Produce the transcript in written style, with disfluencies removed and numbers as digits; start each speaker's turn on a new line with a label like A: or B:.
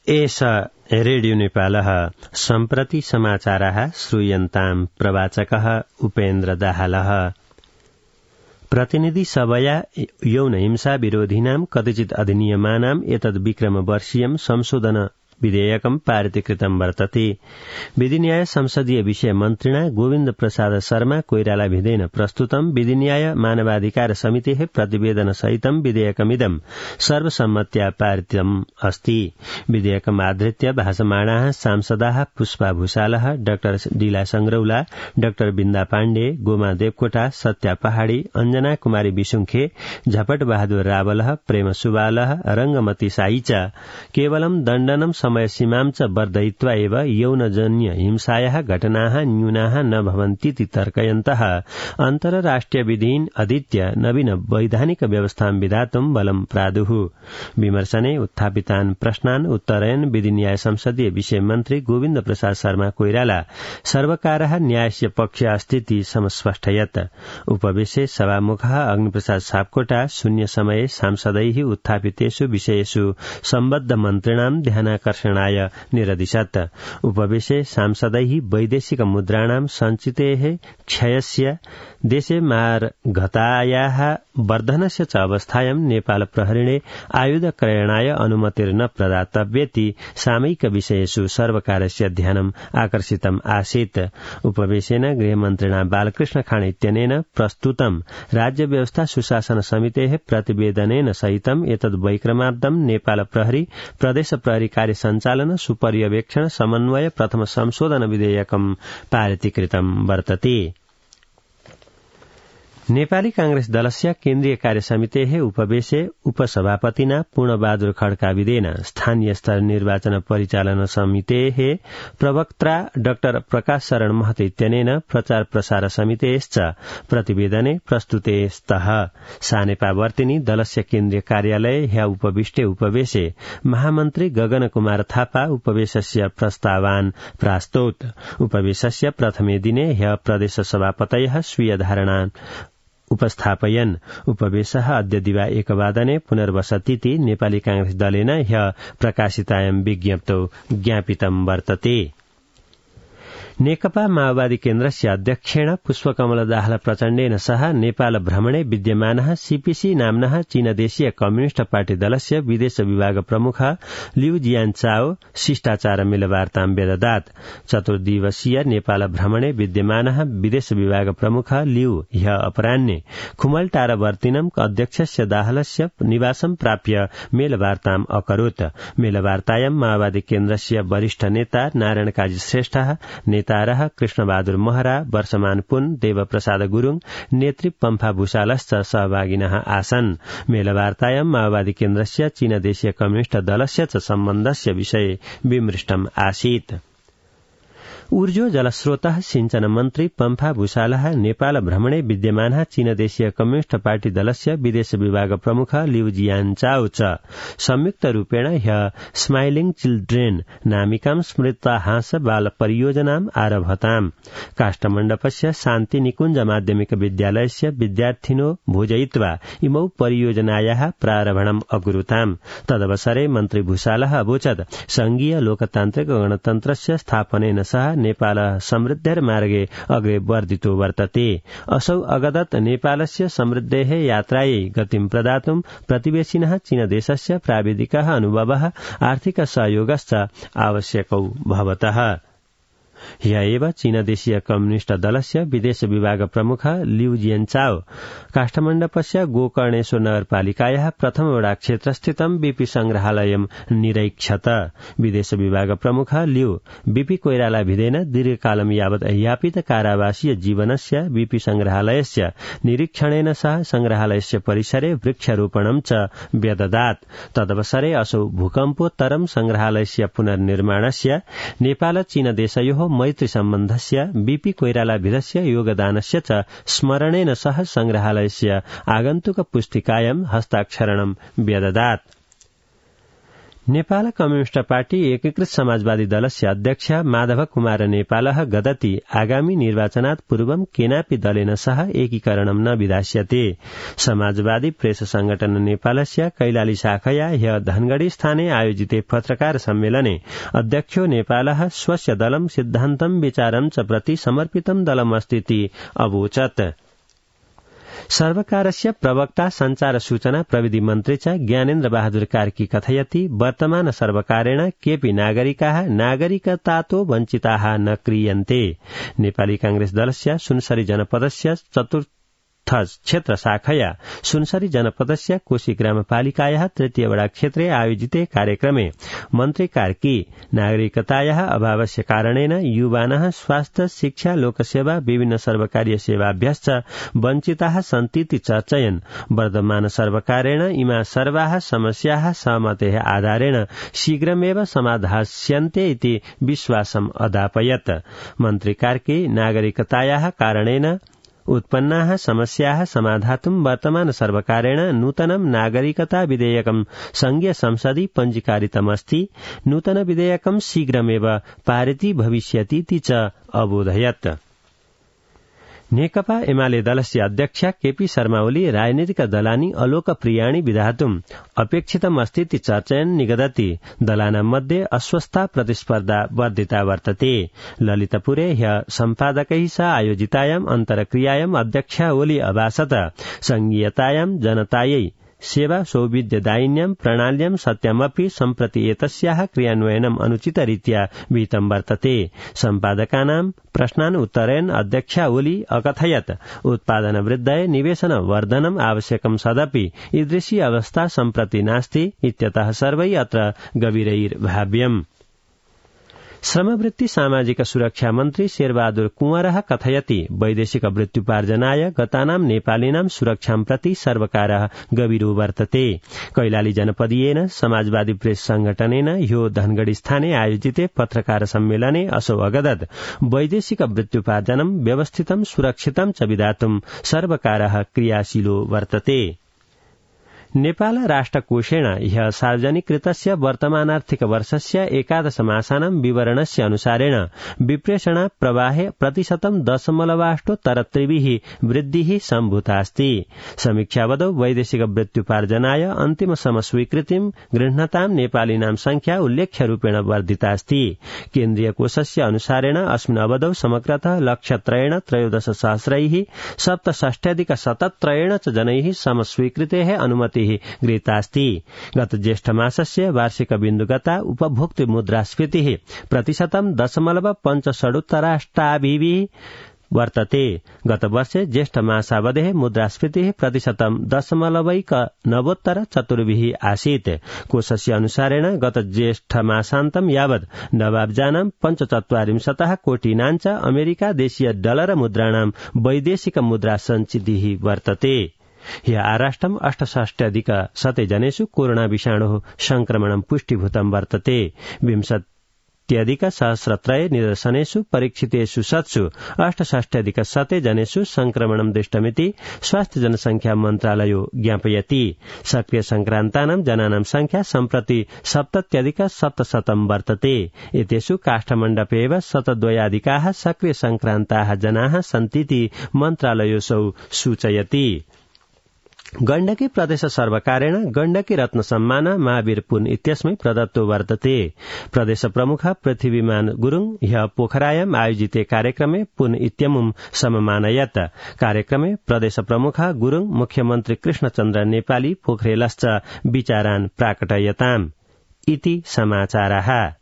A: एष रेडियो नेपालः सम्प्रति समाचाराः श्रूयन्ताम् प्रवाचकः उपेन्द्र दाहालः। प्रतिनिधि सभया यौन हिंसा विरोधिनां कतिचित् अधिनियमानाम् एतद् विक्रमवर्षीयं संशोधन विधेयकं पारितीकृतं वर्तते। विधि न्याय संसदीय विषय मन्त्रिणा गोविन्द प्रसाद शर्मा कोइराला भिदेन प्रस्तुतं विधि न्याय मानवाधिकार समितेः प्रतिवेदन सहितं विधेयकमिदं सर्वसम्मत्या पारितम् अस्ति। विधेयकम् आधृत्य भाषमाणाः सांसदाः पुष्पा भूषालः, डाक्टर डीला संग्रौला, डाक्टर बिन्दा पाण्डे, गोमा देवकोटा, सत्या पहाड़ी, अञ्जना कुमारी विसुङखे, झपट बहादुर रावलः, प्रेम सुवालः, रंगमती साई च केवलं दण्डनं समय सीमां च वर्धयित्वा एव यौनजन्य हिंसायाः घटनाः न्यूनाः न भवन्तीति तर्कयन्तः अन्तर्राष्ट्रिय विधीन् अधीत्य नवीन वैधानिक व्यवस्थां विधातुं बलं प्रादुः। विमर्शने उत्थापितान् प्रश्नान् उत्तरयन् विधि न्याय संसदीय विषय मन्त्री गोविन्द प्रसाद शर्मा कोइराला सर्वकारः न्यायस्य पक्षे अस्तीति समस्पष्टयत्। उपवेशे सभामुखः अग्निप्रसाद सापकोटा शून्य समये सांसदैः उत्थापितेषु विषयेषु सम्बद्ध मन्त्रिणां ध्यानाकर्षणाय निरदिशत्। उपवेशे सांसदैः वैदेशिक मुद्राणां सञ्चितेः क्षयस्य देशे मार्गतायाः वर्धनस्य च अवस्थायां नेपाल प्रहरीणे आयुध क्रयणाय अनुमतिर्न प्रदातव्येति सामयिक विषयेषु सर्वकारस्य ध्यानम् आकर्षितम् आसीत्। उपवेशेन गृहमन्त्रिणा बालकृष्ण खाँड इत्यनेन प्रस्तुतं राज्य व्यवस्था सुशासन समितेः प्रतिवेदनेन सहितम् एतद् वैक्रमार्धं नेपाल प्रहरी प्रदेश प्रहरी कार्य सञ्चालन सुपर्यवेक्षण समन्वय प्रथम संशोधन विधेयकं पारितीकृतं वर्तते। नेपाली कांग्रेस दलस्य केन्द्रीय कार्य समितेः उपवेशे उपसभापतिना पूर्णबहादुर खड्काविदेन स्थानीय स्तर निर्वाचन परिचालन समितेः प्रवक्ता डाक्टर प्रकाश शरण महतो इत्यनेन प्रचार प्रसार समितेश्च प्रतिवेदने प्रस्तुते स्तः। सानेपावर्तिनी दलस्य केन्द्रीय कार्यालये ह्य उपविष्टे उपवेशे महामन्त्री गगन कुमार थापा उपवेशस्य प्रस्तावान् प्रास्तोत्। उपवेशस्य प्रथमे दिने ह्य प्रदेश सभापतयः स्वीय धारणान् उपस्थापयन्। उपवेशः अद्य दिवा 1 वादने पुनर्वसतीति नेपाली कांग्रेस दलेन ह्य प्रकाशितायां विज्ञप्तौ ज्ञापितं वर्तते। नेकपा माओवादी केन्द्रस्य अध्यक्षेण पुष्पकमल दाहाल प्रचण्डेन सह नेपाल भ्रमणे विद्यमानः सीपीसी नाम्नः चीनदेशीय कम्युनिष्ट पार्टी दलस्य विदेश विभाग प्रमुख लिउ जियानचाओ शिष्टाचार मेलवार्तां व्यददात्। चतुर्दिवसीय नेपाल भ्रमणे विद्यमानः विदेश विभाग प्रमुख लिउ ह्य अपराह्ने खुमलटारवर्तिनं अध्यक्षस्य दाहालस्य निवासं प्राप्य मेलवार्ताम् अकरोत्। मेलवार्तायां माओवादी केन्द्रस्य वरिष्ठ नेता नारायण काजी श्रेष्ठः, नेतारः कृष्णबहादुर महरा, वर्षमान पुन, देवप्रसाद गुरूङ, नेत्री पम्फा भूषालश्च सहभागिनः आसन्। मेलवार्तायां माओवादी केन्द्रस्य चीनदेशीय कम्युनिष्ट दलस्य च सम्बन्धस्य विषये विमृष्टम् आसीत्। ऊर्जो जलस्रोतः सिंचन मन्त्री पम्फा भूषालः नेपाल भ्रमणे विद्यमानः चीनदेशीय कम्युनिष्ट पार्टी दलस्य विदेश विभाग प्रमुख लिउ जियानचाओ च संयुक्त रूपेण ह्य स्माइलिङ चिल्ड्रेन नामिकां स्मृतहास बाल परियोजनाम् आरभताम्। काष्ठमण्डपस्य शान्ति निकुञ्ज माध्यमिक विद्यालयस्य विद्यार्थिनो भोजयित्वा इमौ परियोजनायाः प्रारम्भम् अकुरुताम्। तदवसरे मन्त्री भूषालः अवोचत् संघीय लोकतान्त्रिक गणतन्त्रस्य स्थापनेन सह नेपाल समृद्धिर्मार्गे अग्रे वर्धितो वर्तते। असौ अगदत् नेपालस्य समृद्धेः यात्रायै गतिं प्रदातुं प्रतिवेशिनः चीनदेशस्य प्राविधिकः अनुभवः आर्थिक सहयोगश्च आवश्यकौ भवतः। ह्य एव चीनदेशीय कम्युनिष्ट दलस्य विदेश विभाग प्रमुख लिउ जियानचाओ काष्ठमण्डपस्य गोकर्णेश्वर नगरपालिकायाः प्रथम वडा क्षेत्रस्थितं बीपी संग्रहालयं निरीक्षत। विदेश विभाग प्रमुख लिउ बीपी कोइराला भिदेन दीर्घकालं यावत् यापित कारावासीय जीवनस्य बीपी संग्रहालयस्य निरीक्षणेन सह संग्रहालयस्य परिसरे वृक्षारोपणं च व्यददात्। तदवसरे असौ भूकम्पोत्तरं संग्रहालयस्य पुनर्निर्माणस्य नेपाल चीनदेशयोः मैत्री सम्बन्धस्य बीपी कोइरालाभिदस्य योगदानस्य च स्मरणेन सह संग्रहालयस्य आगन्तुक पुस्तिकायां हस्ताक्षरणं व्यददात्। नेपाल कम्युनिष्ट पार्टी एकीकृत समाजवादी दलस्य अध्यक्ष माधव कुमार नेपालः गदति आगामी निर्वाचनात् पूर्वं केनापि दलेन सह एकीकरणं न विधास्यते। समाजवादी प्रेस संगठन नेपालस्य कैलाली शाखया ह्य धनगढ़ी स्थाने आयोजिते पत्रकार सम्मेलने अध्यक्षो नेपालः स्वस्य दलं सिद्धान्तं विचारं च प्रति समर्पितं दलमस्तीति अवोचत्। सर्वकारस्य प्रवक्ता संचार सूचना प्रविधि मन्त्री च ज्ञानेन्द्र बहादुर कार्की कथयति वर्तमान सर्वकारेण केपि नागरिकाः नागरिकतातो वञ्चिताः न क्रियन्ते। नेपाली कांग्रेस दलस्य सुनसरी जनपदस्य चतुर्थ क्षेत्र शाखया सुनसरी जनपदस्य कोशी ग्रामपालिकायाः तृतीय वडा क्षेत्रे आयोजिते कार्यक्रमे मन्त्री कार्की नागरिकतायाः अभावस्य कारणेन युवानः स्वास्थ्य शिक्षा लोकसेवा विभिन्न सर्वकारीय सेवाभ्यश्च वञ्चिताः सन्तीति चर्चयन्। वर्तमान सर्वकारेण इमा सर्वाः समस्याः सहमतेः आधारेण शीघ्रमेव समाधास्यन्ते इति विश्वासम् अदापयत्। मन्त्री कार्की नागरिकतायाः कारणेन उत्पन्नाः समस्याः समाधातुं वर्तमान सर्वकारेण नूतनं नागरिकता विधेयकं संघीय संसदि पञ्जीकारितमस्ति। नूतन विधेयकं शीघ्रमेव पारितं भविष्यतीति च अबोधयत्। नेकपा एमाले दलस्य अध्यक्ष केपी शर्मा ओली राजनीतिक दलानि अलोकप्रियाणि विधातुम् अपेक्षितमस्तीति चर्चयन् निगदति। दलानां मध्ये अस्वस्था प्रतिस्पर्धा वर्धिता वर्तते। ललितपुरे ह्य सम्पादकैः सह आयोजितायाम् अन्तरक्रियायाम् अध्यक्ष ओली अभाषत संघीयतायां जनतायै सेवा सौविध्यदायिन्यां प्रणाल्यां सत्यमपि सम्प्रति एतस्याः क्रियान्वयनम् अनुचितरीत्या विहितं वर्तते। सम्पादकानां प्रश्नान् उत्तरयन् अध्यक्ष ओली अकथयत् उत्पादन वृद्धये निवेशन वर्धनम् आवश्यकं सदपि ईदृशी अवस्था सम्प्रति नास्ति इत्यतः सर्वैः अत्र गभीरैर्भाव्यम्। श्रमवृत्ति सामाजिक सुरक्षा मन्त्री शेरबहादुर कुँवरः कथयति वैदेशिक वृत्त्युपार्जनाय गतानां नेपालीनां सुरक्षां प्रति सर्वकारः गभीरो वर्तते। कैलाली जनपदीयेन समाजवादी प्रेस संगठनेन ह्यो धनगढ़ी स्थाने आयोजिते पत्रकार सम्मेलने असौ अगदत् वैदेशिक वृत्त्युपार्जनं व्यवस्थितं सुरक्षितं च विधातुं सर्वकारः क्रियाशीलो वर्तते। नेपाल राष्ट्रकोषेण ह्य सार्वजनिकृतस्य वर्तमानार्थिक वर्षस्य 11 मासानां विवरणस्य अनुसारेण विप्रेषण प्रवाहे 10.8% वृद्धिः सम्भूतास्ति। समीक्षावधौ वैदेशिक वृत्त्युपार्जनाय अन्तिम समस्वीकृतिं गृह्णतां नेपालीनां संख्या उल्लेख्यरूपेण वर्धितास्ति। केन्द्रीय कोषस्य अनुसारेण अस्मिन् अवधौ समग्रतः लक्षत्रयेण 13,67,67 च जनैः समस्वीकृतेः अनुमतिः गृहीतास्ति। गत ज्येष्ठ मासस्य वार्षिक बिन्दुगता उपभोक्तृ मुद्रास्फीतिः 0.5% वर्तते। गत वर्षे ज्येष्ठ मासावधेः मुद्रास्फीतिः 0.9% आसीत्। कोषस्य अनुसारेण गत ज्येष्ठ मासान्तं यावत् नवाब्जानां 45 कोटिनां च अमेरिका देशीय डलर मुद्राणां वैदेशिक मुद्रा सञ्चितिः वर्तते। ह्य आराष्ट्रम् 68,100 जनेषु कोरोना विषाणोः संक्रमणं पुष्टिभूतं वर्तते। 20,000 निदर्शनेषु परीक्षितेषु शतसु 68,100 जनेषु संक्रमणं दृष्टमिति स्वास्थ्य जनसंख्या मन्त्रालयो ज्ञापयति। सक्रिय संक्रान्तानां जनानां संख्या सम्प्रति 70,700 वर्तते। एतेषु काष्ठमण्डपे एव 102 सक्रिय संक्रान्ताः जनाः सन्तीति मन्त्रालयोऽसौ सूचयति। गण्डकी प्रदेश सर्वकारेण गण्डकी रत्न सम्मान महावीर पुन इत्यस्मै प्रदत्तो वर्तते। प्रदेश प्रमुख पृथ्वीमान गुरुङ ह्य पोखरायाम् आयोजिते कार्यक्रमे पुन इत्यमुं सममानयत्। कार्यक्रमे प्रदेश प्रमुख गुरुङ मुख्यमन्त्री कृष्णचन्द्र नेपाली पोखरेलश्च विचारान् प्राकटयताम् इति समाचारः।